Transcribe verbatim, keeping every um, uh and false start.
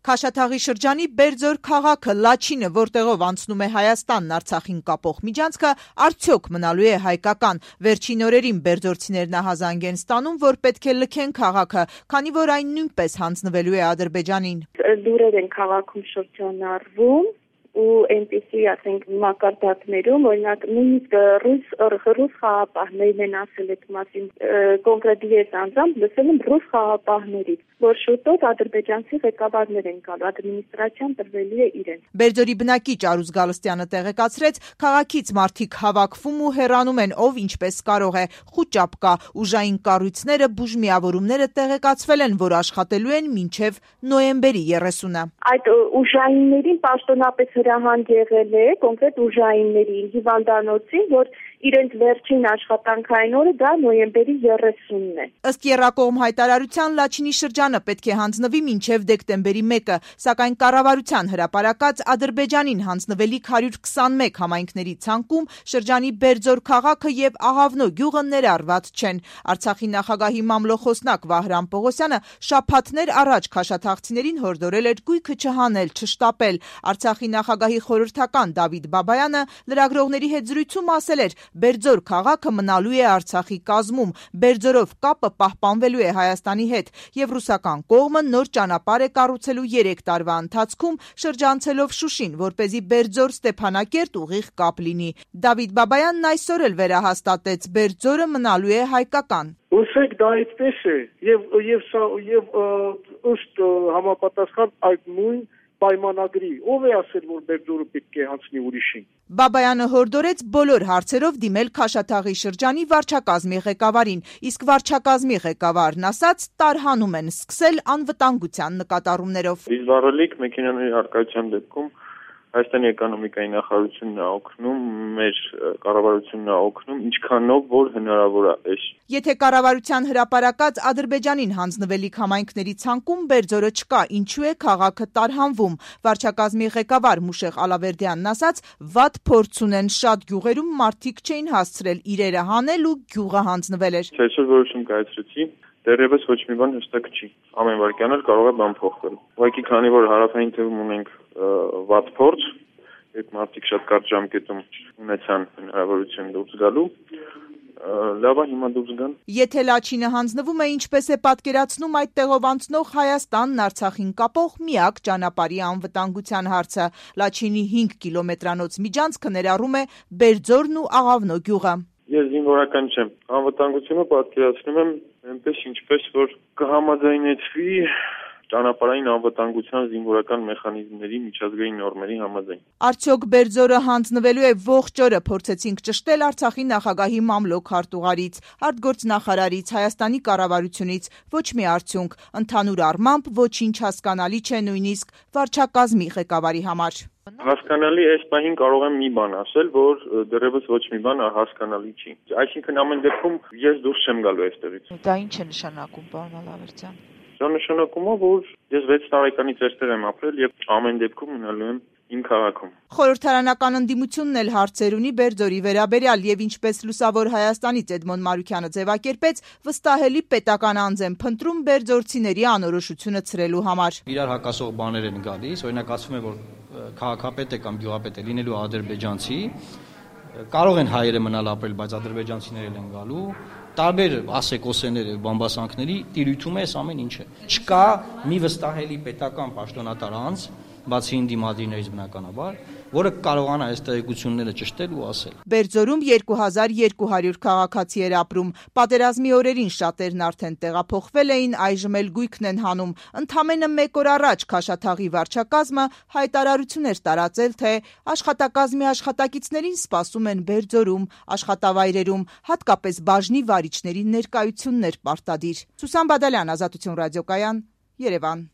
Քաշաթաղի շրջանի Բերձոր քաղաքը Լաչինը, որտեղով անցնում է Հայաստանն Արցախին կապող միջանցքը, արդյոք մնալու է հայկական։ Վերջին օրերին բերձորցիներն ահազանգ են ստանում, որ պետք է լքեն քաղաքը, քանի որ այն նույնպես հանձնվելու է Ադրբեջանին։ Լուրեր են քաղաքում շրջանառվում ու այնպիսի, ասենք, մակարդակներում, օրինակ, նույնիսկ ռուս ռուս խաղապահներն են ասել այդ մասին, կոնկրետ ես անձամբ լսել եմ ռուս խաղապահներից, որ շուտով ադրբեջանցի ղեկավարներ են գալու, ադմինիստրացիան տրվելի է իրենց։ Բերձորի բնակիչ Արուզ Գալստյանը տեղեկացրեց, քաղաքից մարդիկ հավաքվում ու հեռանում են, ով ինչպես կարող է, խուճապ կա, ուժային կառույցները, բուժմիավորումները տեղեկացվել են, որ աշխատելու են մինչև նոյեմբերի երեսունը։ Այդ ուժայիններին պաշտոնապես հրահանգ եղել է, կոնկրետ ուժայիններին, հիվանդանոցին, որ իրենց վերջին աշխատանքային օրը դա նոյեմբերի երեսունն է։ Ըստ եռակողմ հայտարարության Լաչինի շրջանը պետք է հանձնվի մինչև դեկտեմբերի մեկը, սակայն կառավարության հրապարակած Ադրբեջանին հանձնվելիք հարյուր քսանմեկ համայնքների ցանկում շրջանի Բերձոր քաղաքը եւ Աղավնո գյուղը ներառված չեն։ Արցախի նախագահի մամլոխոսնակ Վահրամ Պողոսյանը շաբաթներ առաջ քաշաթաղցիներին հորդորել էր գույքը չհանել, չշտապել։ Արցախի նախագահի խորհրդական Դավիթ Բաբայանը լրագրողների հետ զրույցում ասել էր. Բերձոր քաղաքը մնալու է Արցախի կազմում, Բերձորով կապը պահպանվելու է Հայաստանի հետ եւ ռուսական կողմը նոր ճանապարհ է կառուցելու երեք տարվա ընթացքում շրջանցելով Շուշին, որպեսզի Բերձոր Ստեփանակերտ ուղիղ կապ լինի։ Դավիթ Բաբայանն այսօր էլ վերահաստատեց, Բերձորը մնալու է հայկական։ Ուսեք դա այդպես է եւ եւ եւ ըստ համապատասխան այդ նույն պայմանագրի, ով է ասել, որ Բերձորը պետք է հանձնի ուրիշին։ Բաբայանը հորդորեց բոլոր հարցերով դիմել Քաշաթաղի շրջանի վարչակազմի ղեկավարին, իսկ վարչակազմի ղեկավարն ասաց, տարհանում են սկսել անվտանգության նկատառումներով։ Դիզվառելիք մեքենաների առկայության դեպքում Հայաստանի էկոնոմիկայի նախարարությունն է օգնում, մեր կառավարությունն է օգնում, ինչքանով որ հնարավոր է։ Եթե կառավարության հրապարակած Ադրբեջանին հանձնվելիք համայնքների ցանկում Բերձորը չկա, ինչու է քաղաքը տարհանվում։ Վարչակազմի ղեկավար Մուշեղ Ալավերդյանն ասաց, վատ փորձ ունեն, շատ գյուղերում մարդիկ չէին հասցրել իրերը հանել ու գյուղը հանձնվել էր։ Այսօր որոշում կայացրեցի, դեռևս ոչ մի բան հստակ չի։ Ամեն վայրկյան էլ կարող է բան փոխվել։ Ուղղակի քանի որ հարավային թվում ունենք վատ փորձ, այդ մարդիկ շատ կարճ ժամկետում ունեցան հնարավորություն դուրս գալու, լավ է հիմա դուրս գան։ Եթե Լաչինը հանձնվում է, ինչպես է պատկերացնում այդ տեղով անցնող Հայաստանն Արցախին կապող միակ ճանապարհի անվտանգության հարցը, Լաչինի հինգ կիլոմետրանոց միջանցքը ներառում է Բերձորն ու Աղավնո գյուղը։ Ես զինվորական չեմ, անվտանգությունը պատկերացնում եմ այնպես, ինչպես որ կհամաձայնեցվի ճանապարհային անվտանգության զինվորական մեխանիզմների միջազգային նորմերի համաձայն։ Արդյոք Բերձորը հանձնվելու է ողջ օրը փորձեցինք ճշտել Արցախի նախագահի մամլոք հարտուղարից, արտգործնախարարից, Հայաստանի կառավարությունից, ոչ մի արդյունք, ընդհանուր առմամբ ոչինչ հասկանալի չէ նույնիսկ վարչակազմի ղեկավարի համար։ Հասկանալի այս պահին կարող եմ մի բան ասել, որ դեռևս ոչ մի բան հասկանալի չի։ Այսինքն ամեն դեպքում ես դուրս չեմ գալու այստեղից։ Դա ինչ է նշանակում, պարոն Ալավերդյան։ Դա նշանակում է, որ ես վեց տարեկանից այստեղ եմ ապրել եւ ամեն դեպքում մնալու եմ իմ քաղաքում։ Խորհրդարանական ընդդիմությունն էլ հարցեր ունի Բերձորի վերաբերյալ եւ ինչպես Լուսավոր Հայաստանից Էդմոն Մարուկյանը ձևակերպեց, վստահելի պետական անձ են փնտրում բերձորցիների անորոշությունը ցրելու համար։ Իրար հակասող բաներ են գալիս, օրինակ ասում են, որ քաղաքապետ է կամ գյուղապետ է լինելու ադրբեջանցի, կարող են հայերը մնալ ապրել, բայց ադրբեջանցիներ են գալու, տարբեր ասեկոսեներ եւ բամբասանքների տիրույթում է այս ամեն ինչը։ Չկա մի վստահելի պետական պաշտոնատար անձ, բացի ինդիմադրիներից բնականաբար, որը կարողանա այս տեղեկությունները ճշտել ու ասել։ Բերձորում երկու հազար երկու հարյուր քաղաքացի էր ապրում։ Պատերազմի օրերին շատերն արդեն տեղափոխվել էին, այժմ էլ գույքն են հանում։ Ընդամենը մեկ օր առաջ Քաշաթաղի վարչակազմը հայտարարություն էր տարածել, թե աշխատակազմի աշխատակիցներին սպասում են Բերձորում, աշխատավայրերում, հատկապես բաժնի վարիչների ներկայություններ պարտադիր։ Սուսան Բադալյան, Ազատություն ռադիոկայան, Երևան։